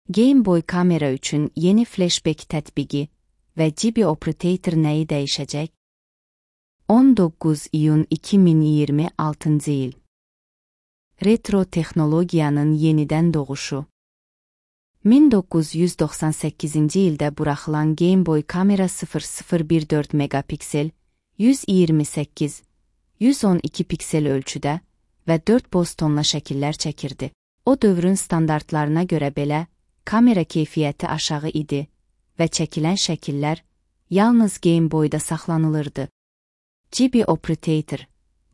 Game Boy kamera üçün yeni flashback tətbiqi və GB Operator nəyi dəyişəcək? 19 iyun 2026-cı il. Retro texnologiyanın yenidən doğuşu. 1998-ci ildə buraxılan Game Boy kamera 0014 megapiksel, 128, 112 piksel ölçüdə və 4 boz tonla şəkillər çəkirdi. O dövrün standartlarına görə belə, kamera keyfiyyəti aşağı idi və çəkilən şəkillər yalnız Game Boy-da saxlanılırdı. GB Operator,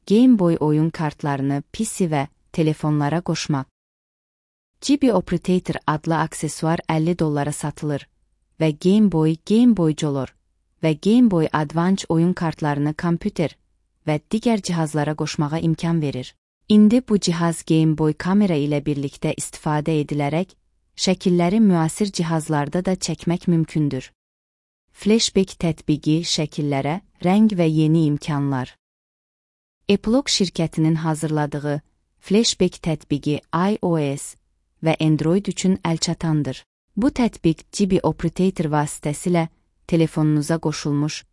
Game Boy oyun kartlarını PC və telefonlara qoşmaq. GB Operator adlı aksesuar $50 satılır və Game Boy, Game Boy Color və Game Boy Advance oyun kartlarını kompüter və digər cihazlara qoşmağa imkan verir. İndi bu cihaz Game Boy kamera ilə birlikdə istifadə edilərək, şəkilləri müasir cihazlarda da çəkmək mümkündür. Flashback tətbiqi şəkillərə, rəng və yeni imkanlar. Epilogue şirkətinin hazırladığı Flashback tətbiqi iOS və Android üçün əlçatandır. Bu tətbiq GB Operator vasitəsilə telefonunuza qoşulmuş,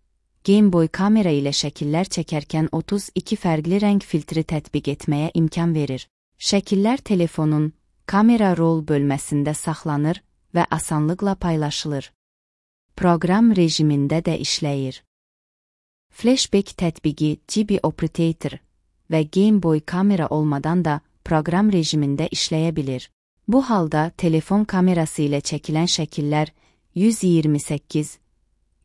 Game Boy kamera ilə şəkillər çəkərkən 32 fərqli rəng filtri tətbiq etməyə imkan verir. Şəkillər telefonun kamera roll bölməsində saxlanır və asanlıqla paylaşılır. Proqram rejimində də işləyir. Flashback tətbiqi GB Operator və Game Boy kamera olmadan da proqram rejimində işləyə bilir. Bu halda telefon kamerası ilə çəkilən şəkillər 128,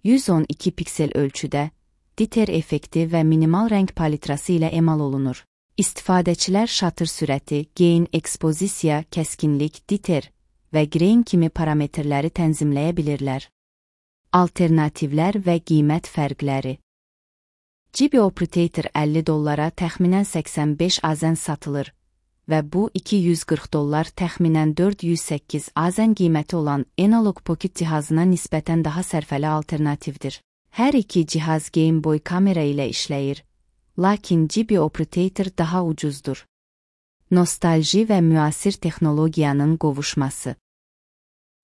112 piksel ölçüdə, diter effekti və minimal rəng palitrası ilə emal olunur. İstifadəçilər şatır sürəti, gain, ekspozisiya, kəskinlik, diter və grain kimi parametrləri tənzimləyə bilirlər. Alternativlər və qiymət fərqləri. GB Operator $50 təxminən 85 AZN satılır və bu $240 təxminən 408 AZN qiyməti olan Analog Pocket cihazına nisbətən daha sərfəli alternativdir. Hər iki cihaz Game Boy kamera ilə işləyir, lakin GB Operator daha ucuzdur. Nostalji və müasir texnologiyanın qovuşması.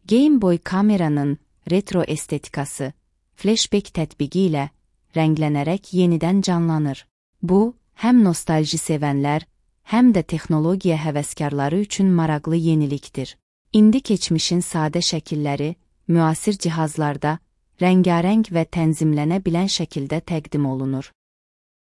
Game Boy kameranın retro estetikası, flashback tətbiqi ilə rənglənərək yenidən canlanır. Bu, həm nostalji sevənlər, həm də texnologiya həvəskarları üçün maraqlı yenilikdir. İndi keçmişin sadə şəkilləri, müasir cihazlarda, rəngarəng və tənzimlənə bilən şəkildə təqdim olunur.